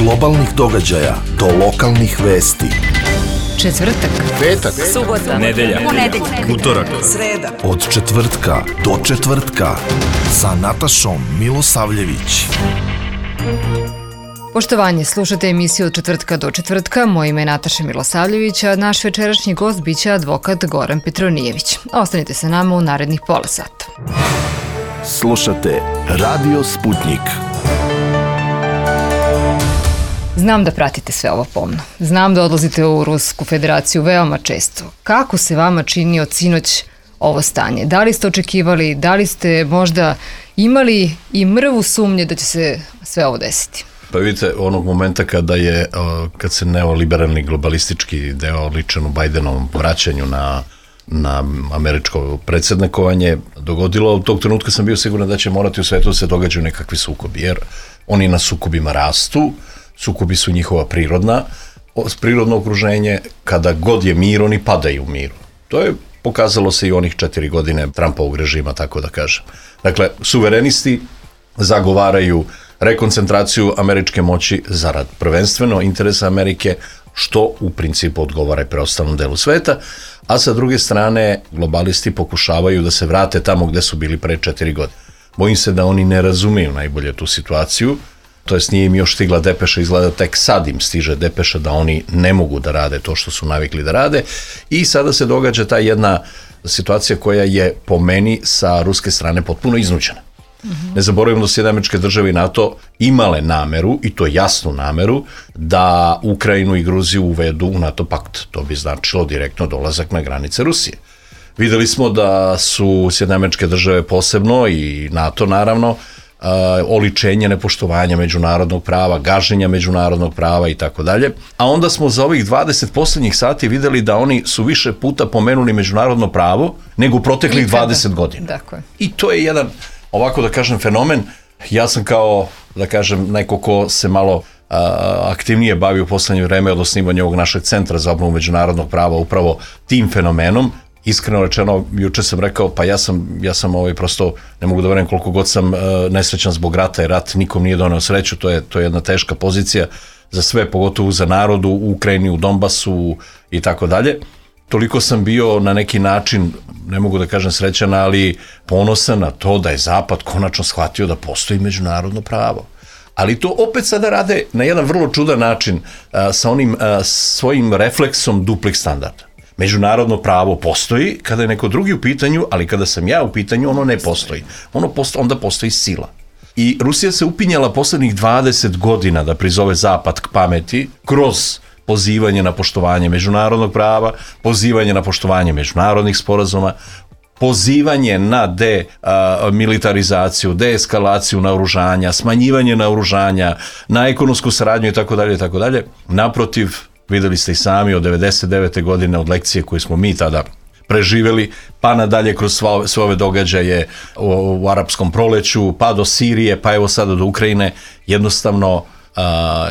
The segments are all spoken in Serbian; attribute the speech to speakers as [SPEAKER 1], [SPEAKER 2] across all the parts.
[SPEAKER 1] globalnih događaja do lokalnih vesti.
[SPEAKER 2] Četvrtak,
[SPEAKER 3] petak,
[SPEAKER 2] subota,
[SPEAKER 3] nedelja, utorak,
[SPEAKER 2] sreda.
[SPEAKER 1] Od četvrtka do četvrtka sa Natašom Milosavljević.
[SPEAKER 2] Poštovanje, slušate emisiju Od četvrtka do četvrtka. Moje ime je Nataša Milosavljević, a naš večerašnji gost biće advokat Goran Petronijević. Ostanite sa nama u narednih pola sata.
[SPEAKER 1] Slušate Radio Sputnik.
[SPEAKER 2] Znam da pratite sve ovo pomno. Znam da odlazite u Rusku federaciju veoma često. Kako se vama čini od sinoć ovo stanje? Da li ste očekivali, da li ste možda imali i mrvu sumnje da će se sve ovo desiti?
[SPEAKER 3] Pa vidite, onog momenta kad se neoliberalni globalistički deo ličan u Bajdenovom vraćanju na američko predsjednikovanje dogodilo, od tog trenutka sam bio siguran da će morati u svetu da se događaju nekakvi sukobi, jer oni na sukobima rastu, sukobi su njihova prirodno okruženje, kada god je mir, oni padaju u miru. To je pokazalo se i onih 4 godine Trumpovog režima, tako da kažem. Dakle, suverenisti zagovaraju rekoncentraciju američke moći zarad prvenstveno interesa Amerike, što u principu odgovara i preostalnom delu sveta, a sa druge strane globalisti pokušavaju da se vrate tamo gde su bili pre 4 godine. Bojim se da oni ne razumiju najbolje tu situaciju, to jest nije im još stigla depeša, izgleda tek sad im stiže depeša da oni ne mogu da rade to što su navikli da rade i sada se događa ta jedna situacija koja je po meni sa ruske strane potpuno iznuđena. Ne zaboravimo da su Sjedinjene Američke Države i NATO imale nameru, i to jasnu nameru, da Ukrajinu i Gruziju uvedu u NATO pakt. To bi značilo direktno dolazak na granice Rusije. Videli smo da su Sjedinjene Američke Države posebno i NATO naravno oličenje nepoštovanja međunarodnog prava, gaženja međunarodnog prava i tako dalje. A onda smo za ovih 20 poslednjih sati videli da oni su više puta pomenuli međunarodno pravo nego u proteklih 20 godina.
[SPEAKER 2] Dakle.
[SPEAKER 3] I to je jedan, ovako da kažem, fenomen. Ja sam kao, da kažem, neko ko se malo aktivnije bavi u poslednje vreme od osnivanja ovog našeg centra za obnovu međunarodnog prava upravo tim fenomenom. Iskreno rečeno, juče sam rekao, pa ja sam prosto, ne mogu da verujem koliko god sam nesrećan zbog rata, jer rat nikom nije doneo sreću, to je jedna teška pozicija za sve, pogotovo za narodu u Ukrajini, u Donbasu i tako dalje. Toliko sam bio na neki način, ne mogu da kažem srećan, ali ponosan na to da je Zapad konačno shvatio da postoji međunarodno pravo. Ali to opet sada rade na jedan vrlo čudan način sa onim svojim refleksom duplih standarda. Međunarodno pravo postoji kada je neko drugi u pitanju, ali kada sam ja u pitanju, ono ne postoji. Onda postoji sila. I Rusija se upinjala poslednjih 20 godina da prizove Zapad k pameti kroz pozivanje na poštovanje međunarodnog prava, pozivanje na poštovanje međunarodnih sporazuma, pozivanje na demilitarizaciju, deeskalaciju naoružanja, smanjivanje naoružanja, na ekonomsku saradnju itd. Naprotiv, videli ste i sami od 99. godine od lekcije koje smo mi tada preživeli, pa nadalje kroz sve ove događaje u arapskom proleću, pa do Sirije, pa evo sada do Ukrajine, jednostavno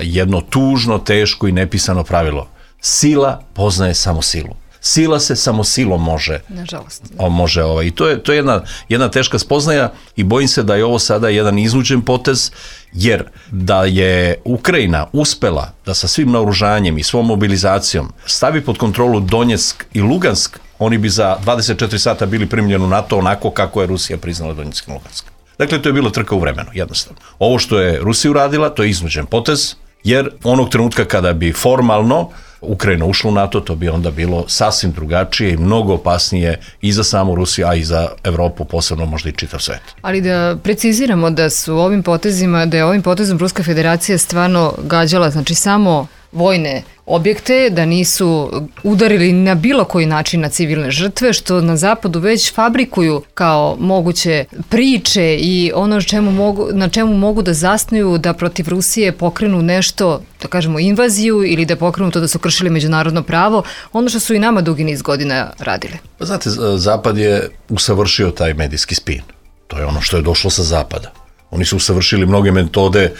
[SPEAKER 3] jedno tužno, teško i nepisano pravilo. Sila poznaje samo silu. Sila se samo silom može.
[SPEAKER 2] Nažalost.
[SPEAKER 3] I to je jedna teška spoznaja i bojim se da je ovo sada jedan iznuđen potez, jer da je Ukrajina uspela da sa svim naoružanjem i svom mobilizacijom stavi pod kontrolu Donjeck i Lugansk, oni bi za 24 sata bili primljeni u NATO onako kako je Rusija priznala Donjeck i Lugansk. Dakle, to je bila trka u vremenu, jednostavno. Ovo što je Rusija uradila, to je iznuđen potez, jer onog trenutka kada bi formalno Ukrajina ušla u NATO, to bi onda bilo sasvim drugačije i mnogo opasnije i za samu Rusiju, a i za Evropu, posebno možda i čitav svet.
[SPEAKER 2] Ali da preciziramo da je ovim potezom Ruska federacija stvarno gađala, znači samo vojne objekte, da nisu udarili na bilo koji način na civilne žrtve, što na zapadu već fabrikuju kao moguće priče i ono na čemu mogu da zasnuju da protiv Rusije pokrenu nešto, da kažemo invaziju ili da pokrenu to da su kršili međunarodno pravo, ono što su i nama dugi niz godina radili.
[SPEAKER 3] Pa znate, Zapad je usavršio taj medijski spin. To je ono što je došlo sa Zapada. Oni su usavršili mnoge metode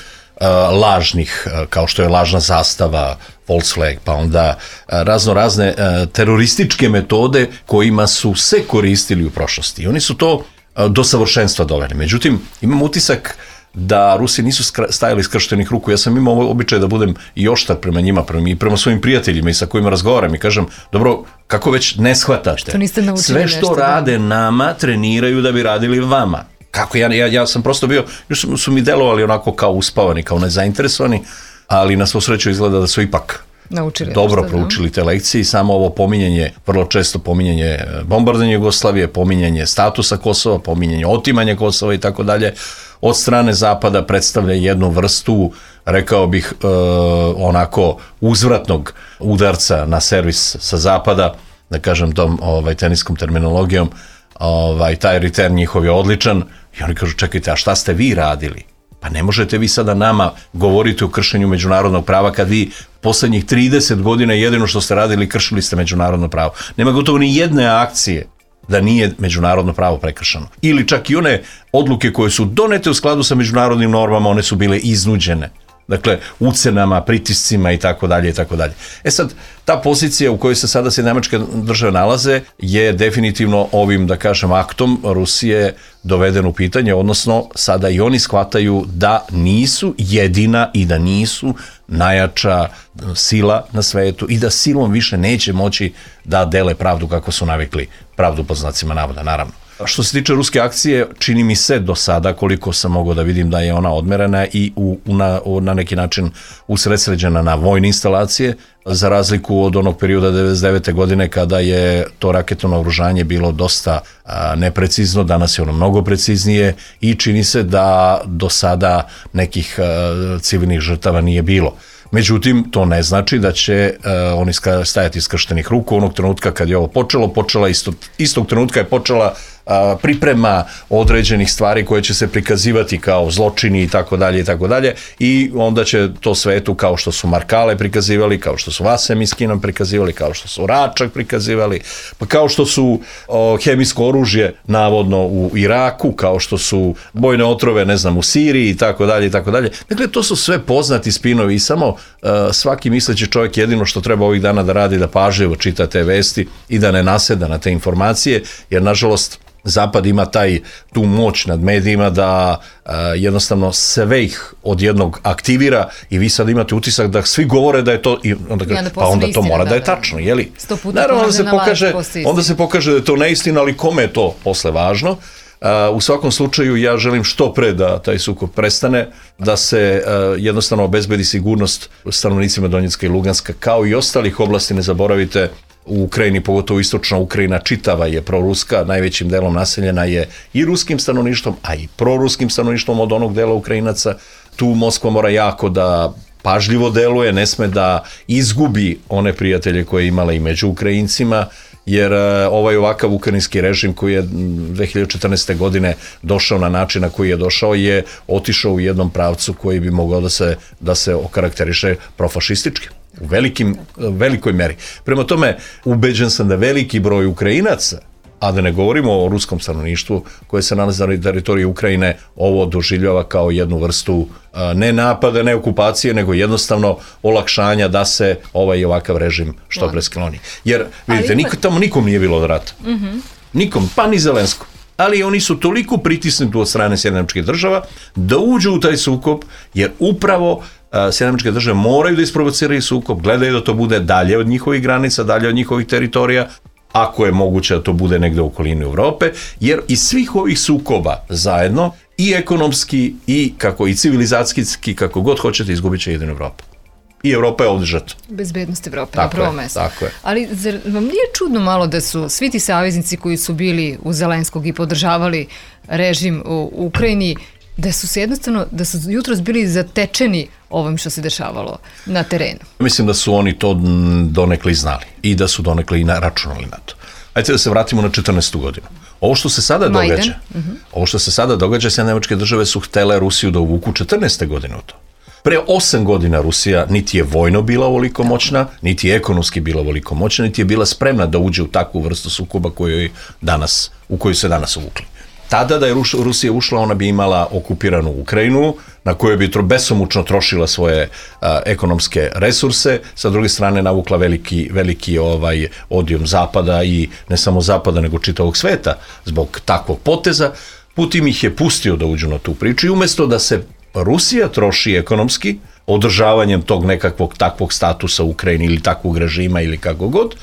[SPEAKER 3] lažnih, kao što je lažna zastava, false flag, pa onda razne terorističke metode kojima su se koristili u prošlosti. I oni su to do savršenstva doveli. Međutim, imam utisak da Rusi nisu stajali skrštenih ruku. Ja sam imao običaj da budem i oštar prema njima, prema svojim prijateljima i sa kojima razgovaram i kažem, dobro, kako već ne shvatate? Sve što rade nama, treniraju da bi radili vama. Kako ja sam prosto bio, još su mi delovali onako kao uspavani, kao nezainteresovani, ali na svu sreću izgleda da su ipak dobro proučili te lekcije i samo ovo pominjanje, vrlo često pominjanje bombardovanja Jugoslavije, pominjanje statusa Kosova, pominjanje otimanja Kosova i tako dalje, od strane Zapada predstavlja jednu vrstu, rekao bih, onako uzvratnog udarca na servis sa Zapada, da kažem tom teniskom terminologijom, taj return njihov je odličan i oni kažu, čekajte, a šta ste vi radili? Pa ne možete vi sada nama govoriti o kršenju međunarodnog prava kad vi poslednjih 30 godina jedino što ste radili, kršili ste međunarodno pravo. Nema gotovo ni jedne akcije da nije međunarodno pravo prekršeno. Ili čak i one odluke koje su donete u skladu sa međunarodnim normama, one su bile iznuđene. Dakle, ucenama, pritiscima i tako dalje i tako dalje. Sad, ta pozicija u kojoj se sada Sjedinjene Američke Države nalaze je definitivno ovim, da kažem, aktom Rusije doveden u pitanje, odnosno sada i oni shvataju da nisu jedina i da nisu najjača sila na svetu i da silom više neće moći da dele pravdu kako su navikli, pravdu pod znacima navoda, naravno. Što se tiče ruske akcije, čini mi se do sada, koliko sam mogao da vidim da je ona odmerena i na neki način usredsređena na vojne instalacije, za razliku od onog perioda 99. godine kada je to raketno naoružanje bilo dosta neprecizno, danas je ono mnogo preciznije i čini se da do sada nekih civilnih žrtava nije bilo. Međutim, to ne znači da će oni stajati skrštenih ruku. Onog trenutka kad je ovo počela istog trenutka je počela priprema određenih stvari koje će se prikazivati kao zločini i tako dalje i onda će to svetu, kao što su Markale prikazivali, kao što su Vasem iz Kinom prikazivali, kao što su Račak prikazivali, pa kao što su hemijsko oružje navodno u Iraku, kao što su bojne otrove, ne znam, u Siriji i tako dalje. Dakle, to su sve poznati spinovi i samo svaki misleći čovjek jedino što treba ovih dana da radi, da pažljivo čita te vesti i da ne naseda na te informacije, jer nažalost Zapad ima tu moć nad medijima da jednostavno sve ih odjednog aktivira i vi sad imate utisak da svi govore da je to, pa onda to mora da je tačno, jeli? Naravno onda se pokaže da je to neistina, ali kome je to posle važno? U svakom slučaju ja želim što pre da taj sukob prestane, da se jednostavno obezbedi sigurnost stanovnicima Donjecka i Luganska, kao i ostalih oblasti, ne zaboravite. U Ukrajini, pogotovo istočna Ukrajina, čitava je proruska, najvećim delom naseljena je i ruskim stanovništvom, a i proruskim stanovništvom od onog dela Ukrajinaca. Tu Moskva mora jako da pažljivo deluje, ne sme da izgubi one prijatelje koje je imala i među Ukrajincima, jer ovaj ovakav ukrajinski režim koji je 2014. godine došao na način na koji je došao je otišao u jednom pravcu koji bi mogao da se okarakteriše profašistički. U velikoj meri. Prema tome, ubeđen sam da veliki broj Ukrajinaca, a da ne govorimo o ruskom stanovništvu koje se nalazi na teritoriji Ukrajine, ovo doživljava kao jednu vrstu ne napada, ne okupacije, nego jednostavno olakšanja da se ovaj ovakav režim što pre skloni. Jer, vidite, tamo nikom nije bilo od rata. Nikom, pa ni Zelenskom. Ali oni su toliko pritisnuti od strane Sjedinjenih Američkih Država da uđu u taj sukob, jer upravo Sjedinjene Američke Države moraju da isprovociraju sukob, gledaju da to bude dalje od njihovih granica, dalje od njihovih teritorija, ako je moguće da to bude negde u okolini Evrope, jer iz svih ovih sukoba zajedno, i ekonomski, i civilizacijski, kako god hoćete, izgubit će jedinu Evropu. I Evropa je ovdje žrtva.
[SPEAKER 2] Bezbednost Evrope na prvo mesto.
[SPEAKER 3] Tako je.
[SPEAKER 2] Ali zar vam nije čudno malo da su svi ti saveznici koji su bili u Zelenskog i podržavali režim u Ukrajini, da su jutros bili zatečeni ovim što se dešavalo na terenu? Mislim
[SPEAKER 3] da su oni to donekle znali i da su donekle i računali na to. Ajde da se vratimo na 14. godinu. Ovo što se sada događa, Sjedinjene Američke Države su htele Rusiju da uvuku 14. godine u to. Pre 8 godina Rusija niti je vojno bila ovoliko moćna, niti je ekonomski bila ovoliko moćna, niti je bila spremna da uđe u takvu vrstu sukoba u koju se danas uvukli. Tada da je Rusija ušla, ona bi imala okupiranu Ukrajinu, na kojoj bi besomučno trošila svoje ekonomske resurse, sa druge strane navukla veliki odijum Zapada i ne samo Zapada, nego čitavog sveta zbog takvog poteza. Putin ih je pustio da uđu na tu priču i umjesto da se Rusija troši ekonomski održavanjem tog nekakvog takvog statusa u Ukrajini ili takvog režima ili kako god,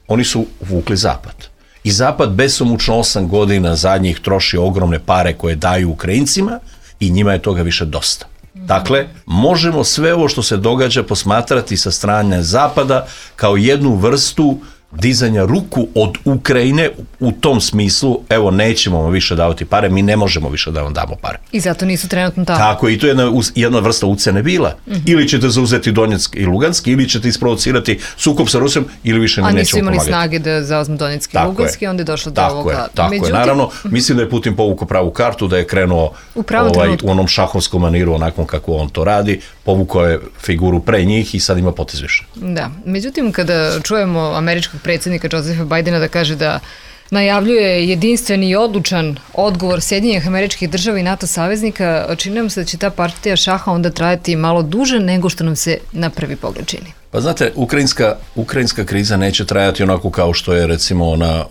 [SPEAKER 3] oni su vukli Zapad. I Zapad besomučno 8 godina zadnjih troši ogromne pare koje daju Ukrajincima i njima je toga više dosta. Dakle, možemo sve ovo što se događa posmatrati sa strane Zapada kao jednu vrstu dizanja ruku od Ukrajine u tom smislu, evo, nećemo vam više davati pare, mi ne možemo više da vam damo pare.
[SPEAKER 2] I zato nisu trenutno tamo.
[SPEAKER 3] Tako, i to je jedna vrsta ucene bila. Ili ćete zauzeti Donjeck i Lugansk, ili ćete isprovocirati sukob sa Rusijom, ili više ne nećemo pomagati.
[SPEAKER 2] A nisu imali snage da zauzmu Donjeck i Lugansk i onda je došlo do ovoga.
[SPEAKER 3] Tako je, naravno, mislim da je Putin povukao pravu kartu, da je krenuo u onom šahovskom maniru, onakvom kako on to radi, povukao je figuru pre njih i sad ima potez više.
[SPEAKER 2] Da, međutim, kada čujemo američkog predsjednika Josepha Bidena da kaže da najavljuje jedinstveni i odlučan odgovor Sjedinjenih Američkih Država i NATO saveznika, čini nam se da će ta partija šaha onda trajati malo duže nego što nam se na prvi pogled čini.
[SPEAKER 3] Pa znate, ukrajinska kriza neće trajati onako kao što je recimo ona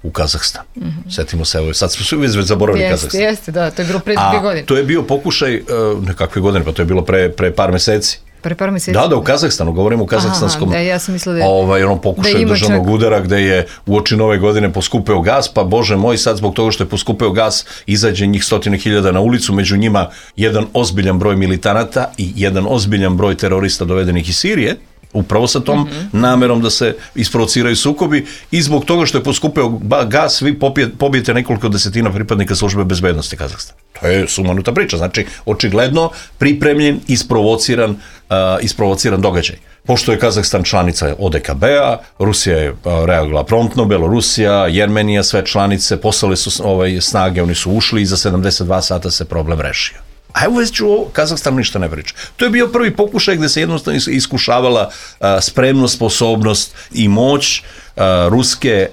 [SPEAKER 3] u Kazahstanu. Sjetimo se, sad smo svi već zaboravili Kazahstan.
[SPEAKER 2] Jeste, da, to je bilo pre 2 godine.
[SPEAKER 3] To je bio pokušaj, nekakve godine, pa to je bilo pre par meseci.
[SPEAKER 2] Pre par meseci?
[SPEAKER 3] Da, u Kazahstanu, govorimo o kazahstanskom
[SPEAKER 2] ja sam mislila da
[SPEAKER 3] ono pokušaj državnog udara gde je uoči Nove godine poskupeo gas, pa bože moj, sad zbog toga što je poskupeo gas izađe njih 100.000 na ulicu, među njima jedan ozbiljan broj militanata i jedan ozbiljan broj terorista dovedenih iz Sirije, upravo sa tom namerom da se isprovociraju sukobi i zbog toga što je poskupeo gas, vi pobijete nekoliko desetina pripadnika službe bezbednosti Kazahstana. To je sumanuta priča, znači očigledno pripremljen, isprovociran događaj. Pošto je Kazahstan članica ODKB-a, Rusija je reagovala promptno, Belorusija, Jermenija, sve članice, poslale su snage, oni su ušli i za 72 sata se problem rešio. A evo već u Kazahstanu ništa ne priča. To je bio prvi pokušaj gde se jednostavno iskušavala spremnost, sposobnost i moć ruske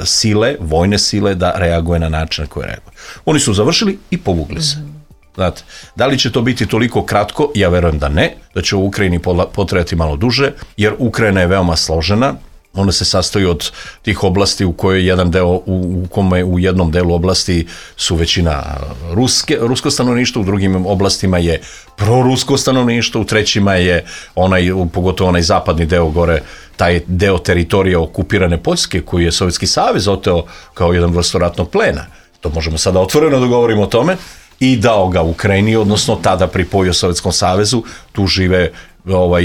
[SPEAKER 3] sile, vojne sile da reaguje na način na koji reaguje. Oni su završili i povukli se. Znate, da li će to biti toliko kratko? Ja verujem da ne, da će u Ukrajini potrajati malo duže, jer Ukrajina je veoma složena. Ona se sastoji od tih oblasti u kojoj jedan deo, u kome u jednom delu oblasti su većina rusko stanovništvo, u drugim oblastima je prorusko stanovništvo, u trećima je pogotovo onaj zapadni deo gore, taj deo teritorija okupirane Poljske koji je Sovjetski savez oteo kao jedan vrstu ratnog plena. To možemo sada otvoreno da govorimo o tome. I dao ga Ukrajini, odnosno tada pripojio Sovjetskom savezu, tu žive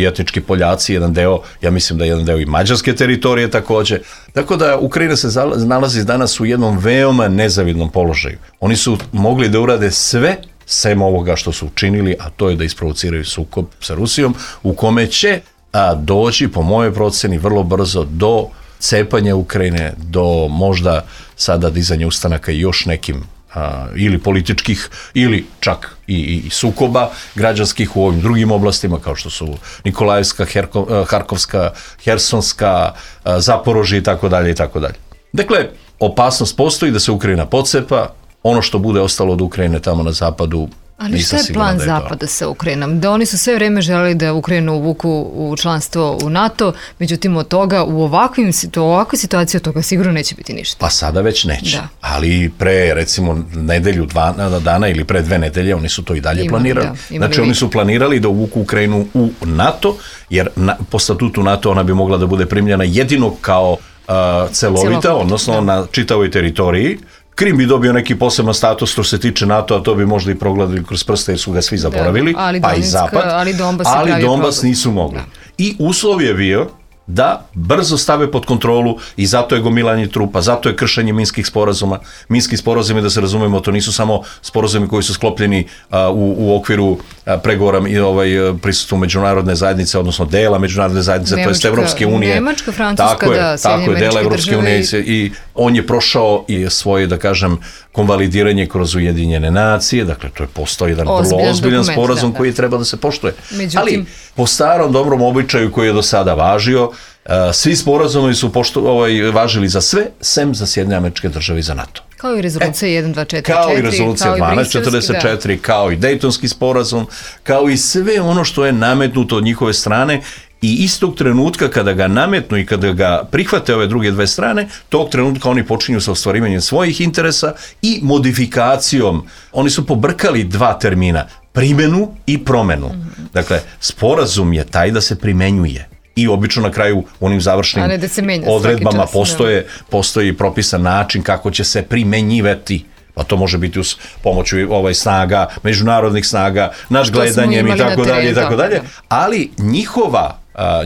[SPEAKER 3] etnički Poljaci, jedan deo, ja mislim da je jedan deo i mađarske teritorije takođe. Tako da Ukrajina se nalazi danas u jednom veoma nezavidnom položaju. Oni su mogli da urade sve sem ovoga što su učinili, a to je da isprovociraju sukob sa Rusijom, u kome će doći, po mojoj proceni, vrlo brzo do cepanja Ukrajine, do možda sada dizanja ustanaka i još nekim ili političkih, ili čak i sukoba građanskih u ovim drugim oblastima, kao što su Nikolajevska, Harkovska, Hersonska, Zaporožje i tako dalje i tako dalje. Dakle, opasnost postoji da se Ukrajina pocepa, ono što bude ostalo od Ukrajine tamo na zapadu.
[SPEAKER 2] Ali šta je plan Zapada sa Ukrajinom? Da oni su sve vreme želeli da Ukrajinu uvuku u članstvo u NATO, međutim od toga u ovakvoj situaciji od toga sigurno neće biti ništa.
[SPEAKER 3] Pa sada već neće. Da. Ali pre recimo nedelju, 2 dana ili pre 2 nedelje oni su to i dalje planirali. Znači oni su planirali da uvuku Ukrajinu u NATO, jer po statutu NATO ona bi mogla da bude primljena jedino kao celovita, odnosno na čitavoj teritoriji. Krim bi dobio neki poseban status što se tiče NATO, a to bi možda i progledali kroz prste jer su ga svi zaboravili, pa i Zapad, ali Donbas nisu mogli. I uslov je bio da brzo stave pod kontrolu i zato je gomilanje trupa, zato je kršenje minskih sporazuma. Minski sporazumi, da se razumemo, to nisu samo sporazumi koji su sklopljeni u okviru pregovora i prisustvu međunarodne zajednice, odnosno dela međunarodne zajednice, to jest Evropske unije.
[SPEAKER 2] Nemačka, Francuska,
[SPEAKER 3] tako je, dela Evropske unije i on je prošao i svoje, da kažem, konvalidiranje kroz Ujedinjene nacije, dakle to je postao jedan vrlo ozbiljan sporazum koji treba da se poštuje. Ali po starom dobrom običaju koji je do sada važio, svi sporazumi su važili za sve, sem za Sjedinjene Američke Države i za NATO.
[SPEAKER 2] Kao i rezolucija 1244,
[SPEAKER 3] kao i rezolucija 1244, kao i Dejtonski sporazum, kao i sve ono što je nametnuto od njihove strane I istog trenutka kada ga nametnu i kada ga prihvate ove druge dve strane, tog trenutka oni počinju sa ostvarivanjem svojih interesa i modifikacijom. Oni su pobrkali dva termina, primenu i promenu. Dakle, sporazum je taj da se primenjuje. I obično na kraju u onim završnim odredbama postoji propisan način kako će se primenjivati. Pa to može biti uz pomoću snaga, međunarodnih snaga, nadgledanjem i tako dalje. Ali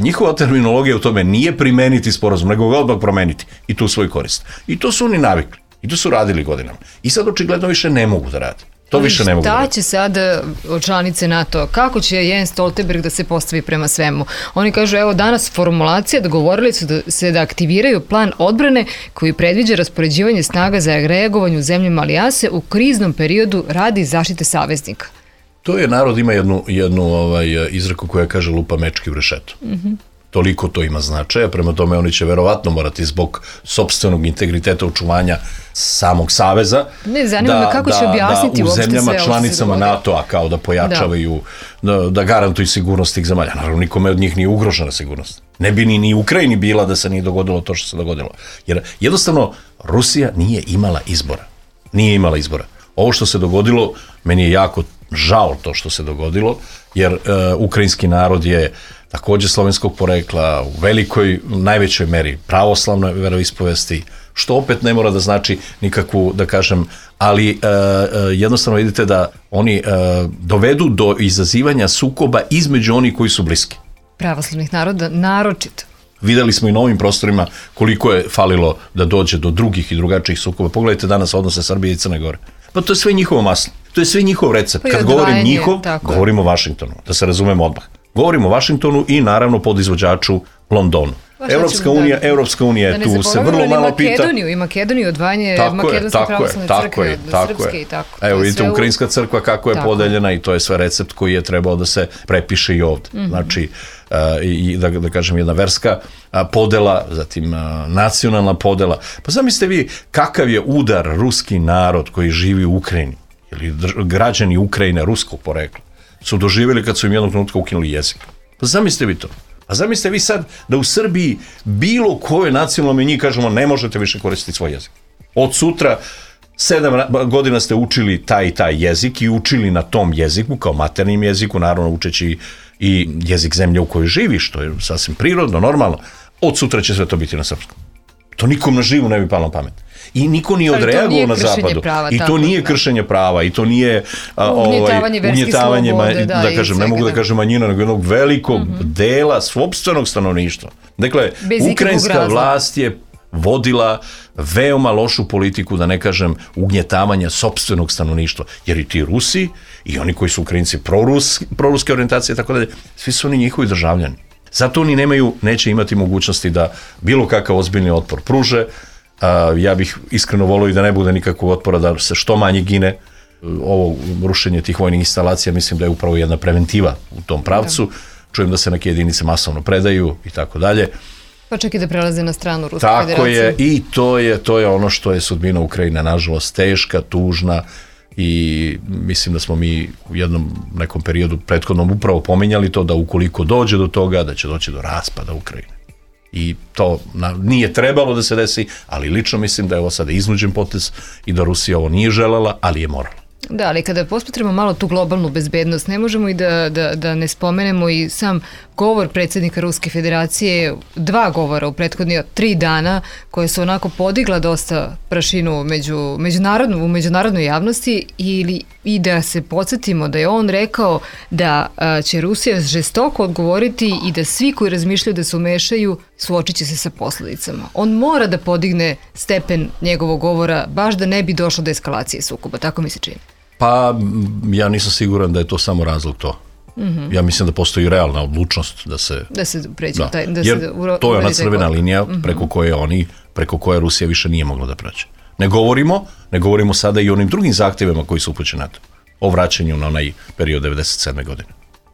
[SPEAKER 3] njihova terminologija u tome nije primeniti sporazum, nego ga odmah promeniti i tu svoju korist. I to su oni navikli. I to su radili godinama. I sad očigledno više ne mogu da rade. To više ne mogu da rade.
[SPEAKER 2] Šta će sada članice NATO, kako će Jens Stoltenberg da se postavi prema svemu? Oni kažu, evo danas formulacija, dogovorili su da aktiviraju plan odbrane koji predviđa raspoređivanje snaga za reagovanje u zemljama alijase u kriznom periodu radi zaštite saveznika.
[SPEAKER 3] To je, narod ima jednu izreku koja kaže lupa mečki u rešeto. Toliko to ima značaja, prema tome oni će verovatno morati zbog sopstvenog integriteta očuvanja samog saveza
[SPEAKER 2] zanima me kako će objasniti
[SPEAKER 3] u zemljama članicama NATO-a kao da pojačavaju, da garantuju sigurnost tih zemalja. Naravno, nikome od njih nije ugrožena sigurnost. Ne bi ni Ukrajini bila da se nije dogodilo to što se dogodilo. Jer jednostavno Rusija nije imala izbora. Nije imala izbora. Ovo što se dogodilo, meni je jako žao to što se dogodilo, jer ukrajinski narod je također slovenskog porekla, u najvećoj meri pravoslavnoj veroispovesti, što opet ne mora da znači nikakvu, da kažem, ali jednostavno vidite da oni dovedu do izazivanja sukoba između onih koji su bliski.
[SPEAKER 2] Pravoslavnih naroda, naročito.
[SPEAKER 3] Videli smo i na ovim prostorima koliko je falilo da dođe do drugih i drugačijih sukoba. Pogledajte danas odnose Srbije i Crne Gore. Pa to je sve njihovo maslo. To je sve njihov recept. Kad govorim njihov, govorim o Vašingtonu. Da se razumemo odmah. Govorim o Vašingtonu i naravno podizvođaču Londonu. Evropska unija je tu, se vrlo malo pita.
[SPEAKER 2] I Makedoniju, odvajanje Makedonske pravoslavne crkve od Srpske i tako.
[SPEAKER 3] Evo vidite, Ukrajinska crkva kako je podeljena i to je sve recept koji je trebao da se prepiše i ovdje. Znači, i da kažem, jedna verska podela, zatim nacionalna podela. Pa zamislite vi kakav je udar ruski narod koji živi u Ukrajini, ili građani Ukrajine ruskog porekla, su doživjeli kad su im jednog trenutka ukinuli jezik. Pa zamislite vi to. A zamislite vi sad da u Srbiji bilo kojoj nacionalnoj manjini kažemo ne možete više koristiti svoj jezik. Od sutra 7 godina ste učili taj i taj jezik i učili na tom jeziku kao maternjem jeziku, naravno učeći i jezik zemlje u kojoj živiš, što je sasvim prirodno, normalno. Od sutra će sve to biti na srpskom. To nikom na živu ne bi palo na pamet. I niko nije odreagovao na zapadu. I to nije kršenje prava. I to nije ugnjetavanje, da kažem, ne mogu da kažem manjina, nego jednog velikog dela sopstvenog stanovništva. Dakle, ukrajinska vlast je vodila veoma lošu politiku, da ne kažem, ugnjetavanja sopstvenog stanovništva. Jer i ti Rusi, i oni koji su Ukrajinci proruske orijentacije i tako dalje, svi su oni njihovi državljani. Zato oni neće imati mogućnosti da bilo kakav ozbiljni otpor pruže. Ja bih iskreno volio i da ne bude nikakvog otpora, da se što manje gine. Ovo rušenje tih vojnih instalacija mislim da je upravo jedna preventiva u tom pravcu. Čujem da se neke jedinice masovno predaju i tako dalje.
[SPEAKER 2] Pa čak i da prelaze na stranu Ruske federacije.
[SPEAKER 3] Tako je, i to je ono što je sudbina Ukrajine, nažalost, teška, tužna, i mislim da smo mi u jednom nekom periodu prethodnom upravo pominjali to da ukoliko dođe do toga, da će doći do raspada Ukrajine. I to nije trebalo da se desi, ali lično mislim da je ovo sada iznuđen potez i da Rusija ovo nije želela, ali je morala.
[SPEAKER 2] Da, ali kada posmatramo malo tu globalnu bezbednost, ne možemo i da ne spomenemo i sam govor predsjednika Ruske federacije, 2 govora u prethodnih 3 dana, koje su onako podigla dosta prašinu u međunarodnoj javnosti, i da se podsjetimo da je on rekao da će Rusija žestoko odgovoriti i da svi koji razmišljaju da se umešaju suočit će se sa posljedicama. On mora da podigne stepen njegovog govora, baš da ne bi došlo do eskalacije sukoba, tako mi se čini.
[SPEAKER 3] Pa ja nisam siguran da je to samo razlog to. Ja mislim da postoji realna odlučnost da se
[SPEAKER 2] pređe
[SPEAKER 3] jer to je ona crvena linija preko koje Rusija više nije mogla da pređe. Ne govorimo sada i o onim drugim zahtjevima koji su upućeni na to. O vraćanju na onaj period 97. godine.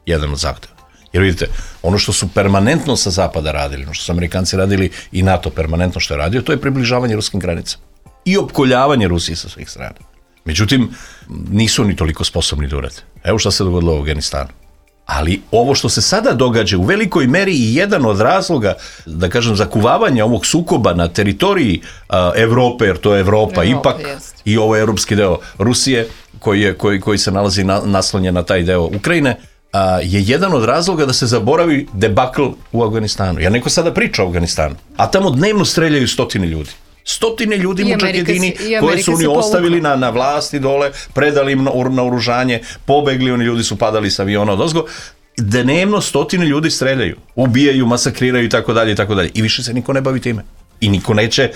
[SPEAKER 3] Jedan od zahtjeva. Jer vidite, ono što su permanentno sa zapada radili, ono što su Amerikanci radili i NATO permanentno što je radio, to je približavanje ruskim granicama. I opkoljavanje Rusije sa svih strana. Međutim, nisu oni toliko sposobni da urade. Evo šta se dogodilo u Afganistanu. Ali ovo što se sada događa u velikoj meri i jedan od razloga, da kažem, zakuvavanja ovog sukoba na teritoriji Evrope, jer to je Evropa ipak,
[SPEAKER 2] jest.
[SPEAKER 3] i ovo je evropski deo Rusije, koji se nalazi naslonjen na taj deo Ukrajine, je jedan od razloga da se zaboravi debakl u Afganistanu. Jer neko sada priča o Afganistanu, a tamo dnevno streljaju 100 ljudi. 100 ljudi mučakedini koje su oni ostavili na vlasti dole, predali im na oružanje, pobegli, oni ljudi su padali sa aviona odozgo. Dnevno 100 ljudi streljaju, ubijaju, masakriraju i tako dalje i tako dalje. I više se niko ne bavi time. I niko neće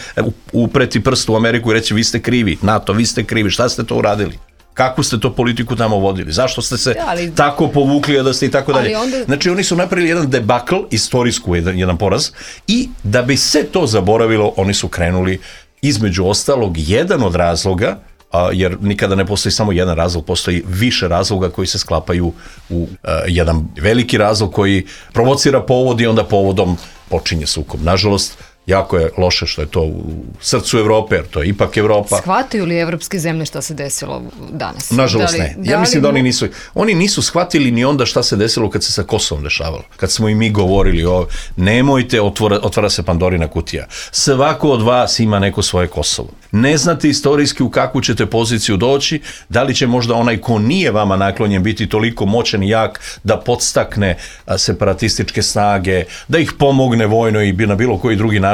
[SPEAKER 3] upreti prst u Ameriku i reći vi ste krivi, NATO, vi ste krivi, šta ste to uradili? Kakvu ste to politiku tamo vodili? Zašto ste se tako povukli da ste i tako dalje? Znači oni su napravili jedan debakl, istorijsku jedan poraz, i da bi se to zaboravilo, oni su krenuli, između ostalog, jedan od razloga, jer nikada ne postoji samo jedan razlog, postoji više razloga koji se sklapaju u jedan veliki razlog koji provocira povod i onda povodom počinje sukob. Nažalost, jako je loše što je to u srcu Evrope, jer to je ipak Evropa.
[SPEAKER 2] Shvataju li evropske zemlje šta se desilo danas?
[SPEAKER 3] Nažalost ne. Ja mislim da oni nisu shvatili ni onda šta se desilo kad se sa Kosovom dešavalo. Kad smo i mi govorili nemojte, otvara se Pandorina kutija. Svako od vas ima neko svoje Kosovo. Ne znate istorijski u kakvu ćete poziciju doći, da li će možda onaj ko nije vama naklonjen biti toliko moćan i jak da podstakne separatističke snage, da ih pomogne vojno i na bilo koji drugi način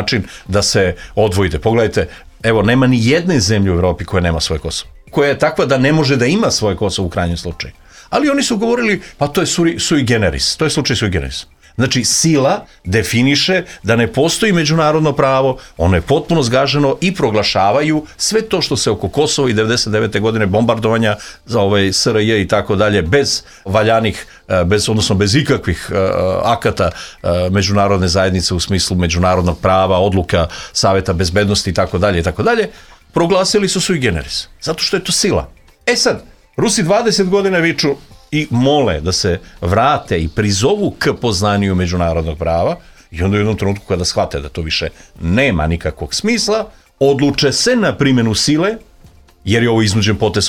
[SPEAKER 3] da se odvojite. Pogledajte, evo, nema ni jedne zemlje u Evropi koja nema svoje Kosovo. Koja je takva da ne može da ima svoje Kosovo u krajnjem slučaju. Ali oni su govorili, pa to je sui generis, to je slučaj sui generis. Znači, sila definiše da ne postoji međunarodno pravo, ono je potpuno zgaženo i proglašavaju sve to što se oko Kosova i 99. godine bombardovanja za SRJ i tako dalje, bez valjanih, odnosno bez ikakvih akata međunarodne zajednice u smislu međunarodnog prava, odluka Saveta bezbednosti i tako dalje, proglasili su sui generis. Zato što je to sila. E sad, Rusi 20 godina viču i mole da se vrate i prizovu k poznaniju međunarodnog prava, i onda u jednom trenutku kada shvate da to više nema nikakvog smisla, odluče se na primjenu sile, jer je ovo iznuđen potez,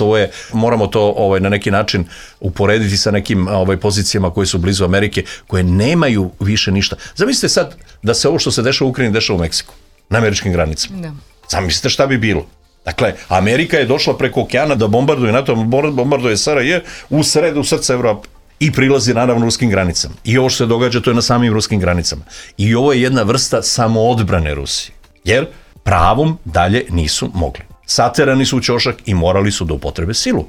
[SPEAKER 3] moramo to na neki način uporediti sa nekim pozicijama koje su blizu Amerike, koje nemaju više ništa. Zamislite sad da se ovo što se dešava u Ukrajini dešava u Meksiku, na američkim granicama. Da. Zamislite šta bi bilo. Dakle, Amerika je došla preko okeana da bombarduje NATO, bombarduje SRJ u srce Evrope i prilazi naravno ruskim granicama. I ovo što se događa, to je na samim ruskim granicama. I ovo je jedna vrsta samoodbrane Rusije, jer pravom dalje nisu mogli. Saterani su u ćošak i morali su da upotrebe silu.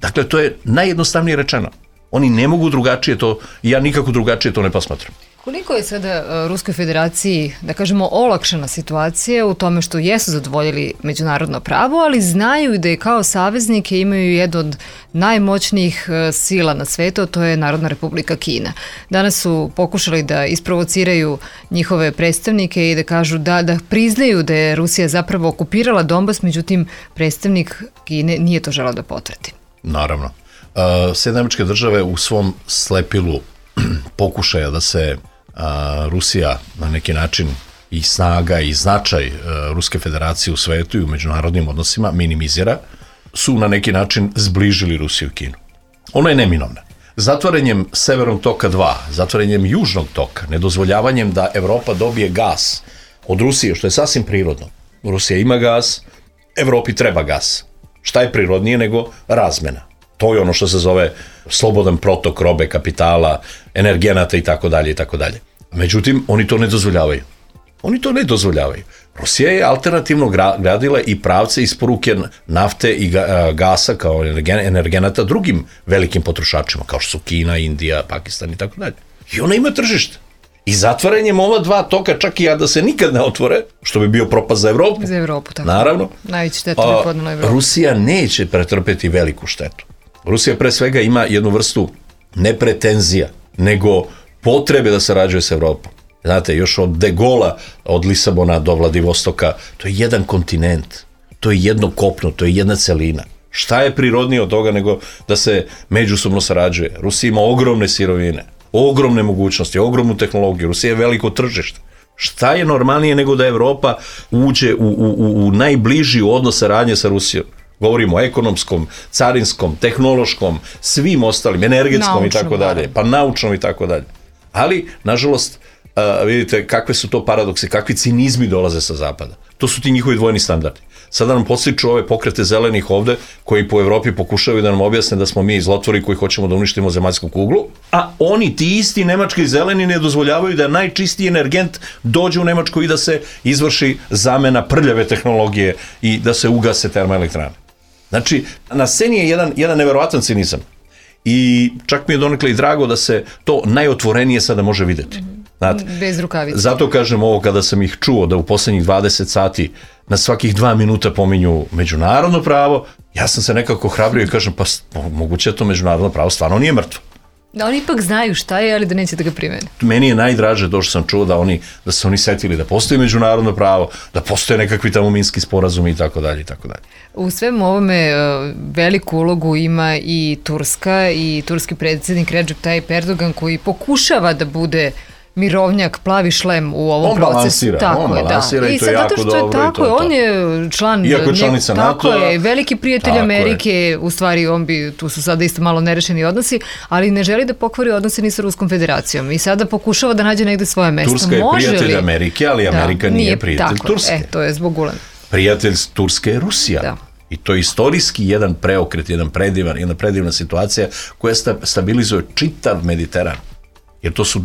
[SPEAKER 3] Dakle, to je najjednostavnije rečeno. Oni ne mogu drugačije to, i ja nikako drugačije to ne posmatram.
[SPEAKER 2] Koliko je sada Ruskoj federaciji, da kažemo, olakšana situacija u tome što jesu zadovoljili međunarodno pravo, ali znaju da je kao saveznike imaju jednu od najmoćnijih sila na svetu, to je Narodna Republika Kina. Danas su pokušali da isprovociraju njihove predstavnike i da kažu da priznaju da je Rusija zapravo okupirala Donbas, međutim predstavnik Kine nije to želeo da potvrdi.
[SPEAKER 3] Naravno. Sjedinjene Američke Države u svom slepilu pokušaja da se Rusija na neki način i snaga i značaj Ruske federacije u svetu i u međunarodnim odnosima minimizira, su na neki način zbližili Rusiju i Kinu. Ono je neminovno. Zatvaranjem Severnog toka 2, zatvaranjem Južnog toka, nedozvoljavanjem da Evropa dobije gas od Rusije, što je sasvim prirodno. Rusija ima gas, Evropi treba gas. Šta je prirodnije nego razmena? To je ono što se zove slobodan protok robe, kapitala, energenata i tako dalje i tako dalje. Međutim, oni to ne dozvoljavaju. Rusija je alternativno gradila i pravce isporuke nafte i gasa kao energenata drugim velikim potrošačima, kao što su Kina, Indija, Pakistan i tako dalje. I ona ima tržište. I zatvaranjem ova dva toka, čak i da se nikad ne otvore, što bi bio propast za Evropu.
[SPEAKER 2] Za Evropu, tako.
[SPEAKER 3] Naravno.
[SPEAKER 2] Najveći štetu bi podnela Evropu.
[SPEAKER 3] Rusija neće pretrpeti veliku štetu. Rusija pre svega ima jednu vrstu ne pretenzija, nego potrebe da sarađuje s Evropom. Znate, još od De Gola, od Lisabona do Vladivostoka, to je jedan kontinent, to je jedno kopno, to je jedna celina. Šta je prirodnije od toga nego da se međusobno sarađuje? Rusija ima ogromne sirovine, ogromne mogućnosti, ogromnu tehnologiju, Rusija je veliko tržište. Šta je normalnije nego da Evropa uđe u najbliži odnos saradnje sa Rusijom? Govorimo o ekonomskom, carinskom, tehnološkom, svim ostalim, energetskom i tako dalje, pa naučnom i tako dalje. Ali, nažalost, vidite kakve su to paradoksi, kakvi cinizmi dolaze sa zapada. To su ti njihovi dvojni standardi. Sada nam podstiču ove pokrete zelenih ovde, koji po Evropi pokušavaju da nam objasne da smo mi zlotvori koji hoćemo da uništimo zemaljsku kuglu, a oni, ti isti nemački zeleni, ne dozvoljavaju da najčistiji energent dođe u Nemačku i da se izvrši zamena prljave tehnologije i da se ugase termoelektrane. Znači, na sceni je jedan neverovatan cinizam. I čak mi je donekle i drago da se to najotvorenije sada može videti. Znate,
[SPEAKER 2] bez rukavice. Zato
[SPEAKER 3] kažem ovo, kada sam ih čuo da u poslednjih 20 sati na svakih 2 minuta pominju međunarodno pravo, ja sam se nekako hrabrio i kažem, pa moguće to međunarodno pravo stvarno nije mrtvo.
[SPEAKER 2] Da oni ipak znaju šta je, ali da neće da ga primene.
[SPEAKER 3] Meni je najdraže to što sam čuo da su oni setili da postoji međunarodno pravo, da postoje nekakvi tamo minski sporazumi i tako dalje i tako dalje.
[SPEAKER 2] U svemu ovome veliku ulogu ima i Turska i turski predsjednik Recep Tayyip Erdogan, koji pokušava da bude mirovnjak, plavi šlem u ovom procesu.
[SPEAKER 3] On balansira i to je jako dobro.
[SPEAKER 2] Tako je, on je član,
[SPEAKER 3] iako je članica NATO-a.
[SPEAKER 2] Tako je, veliki prijatelj Amerike, u stvari tu su sada isto malo nerešeni odnosi, ali ne želi da pokvari odnose ni sa Ruskom federacijom i sada pokušava da nađe negde svoje mesto.
[SPEAKER 3] Turska je prijatelj Amerike, ali Amerika nije prijatelj Turske.
[SPEAKER 2] To je zbog Ulena.
[SPEAKER 3] Prijatelj Turske je Rusija. Da. I to je istorijski jedan preokret, jedna predivna situacija koja stabilizuje čitav Mediteran. Jer to su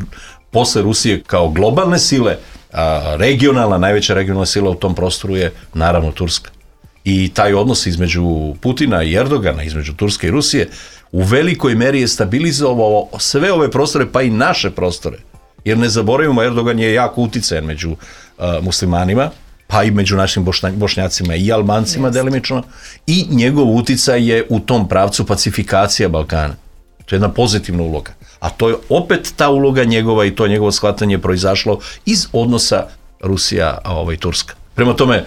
[SPEAKER 3] posle Rusije kao globalne sile, najveća regionalna sila u tom prostoru je naravno Turska. I taj odnos između Putina i Erdogana, između Turske i Rusije, u velikoj meri je stabilizovao sve ove prostore, pa i naše prostore. Jer ne zaboravimo, Erdogan je jako uticajan među muslimanima, pa i među našim Bošnjacima i Albancima delimično, i njegov uticaj je u tom pravcu pacifikacija Balkana. To je jedna pozitivna uloga. A to je opet ta uloga njegova i to njegovo shvatanje proizašlo iz odnosa Rusija-Turska. Prema tome,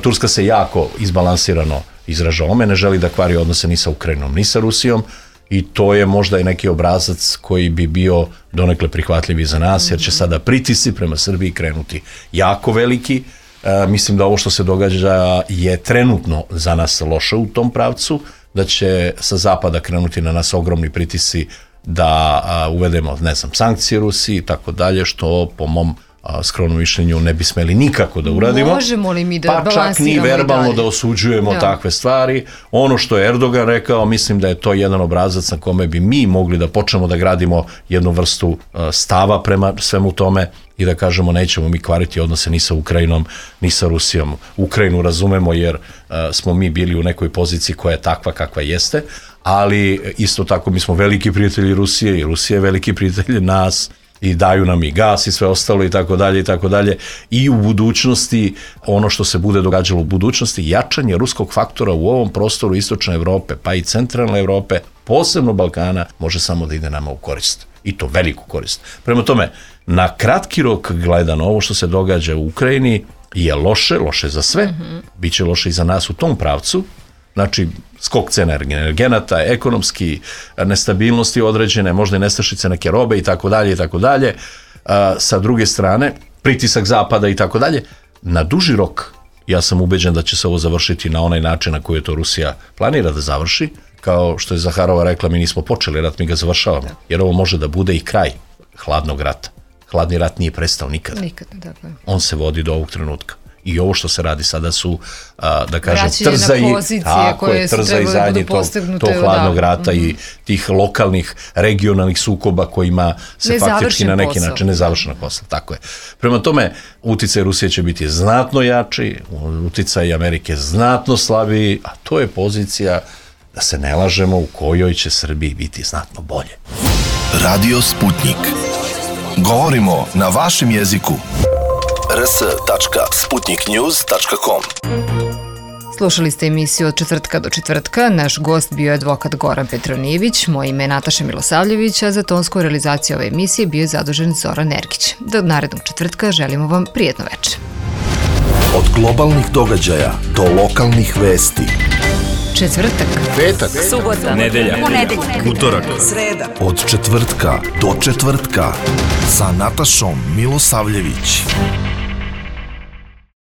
[SPEAKER 3] Turska se jako izbalansirano izražava. Ne želi da kvari odnose ni sa Ukrajinom, ni sa Rusijom, i to je možda i neki obrazac koji bi bio donekle prihvatljiv i za nas, jer će sada pritisci prema Srbiji krenuti jako veliki. Mislim da ovo što se događa je trenutno za nas loše u tom pravcu, da će sa zapada krenuti na nas ogromni pritisci da uvedemo, sankcije Rusiji i tako dalje, što po mom skromnom mišljenju ne bi smeli nikako da uradimo.
[SPEAKER 2] Možemo li mi da balansiramo?
[SPEAKER 3] Pa čak ni verbalno da osuđujemo takve stvari. Ono što je Erdogan rekao, mislim da je to jedan obrazac na kome bi mi mogli da počnemo da gradimo jednu vrstu stava prema svemu tome i da kažemo nećemo mi kvariti odnose ni sa Ukrajinom, ni sa Rusijom. Ukrajinu razumemo jer smo mi bili u nekoj poziciji koja je takva kakva jeste, ali isto tako mi smo veliki prijatelji Rusije i Rusija je veliki prijatelj nas i daju nam i gas i sve ostalo i tako dalje i tako dalje. I u budućnosti, ono što se bude događalo u budućnosti, jačanje ruskog faktora u ovom prostoru istočne Evrope, pa i centralne Evrope, posebno Balkana, može samo da ide nama u korist. I to veliku korist. Prema tome, na kratki rok gledano, ovo što se događa u Ukrajini je loše za sve, bit će loše i za nas u tom pravcu. Znači, skok cena energenata, ekonomski nestabilnosti određene, možda i nestašice neke robe i tako dalje i tako dalje. Sa druge strane, pritisak zapada i tako dalje. Na duži rok, ja sam ubeđen da će se ovo završiti na onaj način na koji je to Rusija planira da završi. Kao što je Zaharova rekla, mi nismo počeli rat, mi ga završavamo. Jer ovo može da bude i kraj hladnog rata. Hladni rat nije prestao nikada. On se vodi do ovog trenutka. I ovo što se radi sada su, da kažem, trza i zadnji tog hladnog rata i tih lokalnih, regionalnih sukoba kojima se faktički na neki način nezavršena posla. Tako je. Prema tome, uticaj Rusije će biti znatno jači, uticaj Amerike znatno slabiji, a to je pozicija, da se ne lažemo, u kojoj će Srbiji biti znatno bolje.
[SPEAKER 1] Radio Sputnik. Govorimo na vašem jeziku. rs.sputniknews.com.
[SPEAKER 2] Slušali ste emisiju od četvrtka do četvrtka. Naš gost bio je advokat Goran Petronijević, moje ime je Nataša Milosavljević, a za tonsku realizaciju ove emisije bio je zadužen Zoran Nergić. Do narednog četvrtka želimo vam prijetno večer.
[SPEAKER 1] Od globalnih događaja do lokalnih vesti.
[SPEAKER 2] Četvrtak,
[SPEAKER 1] petak,
[SPEAKER 4] subota, nedelja, ponedeljak,
[SPEAKER 1] utorak,
[SPEAKER 4] sreda.
[SPEAKER 1] Od četvrtka do četvrtka sa Natašom Milosavljević.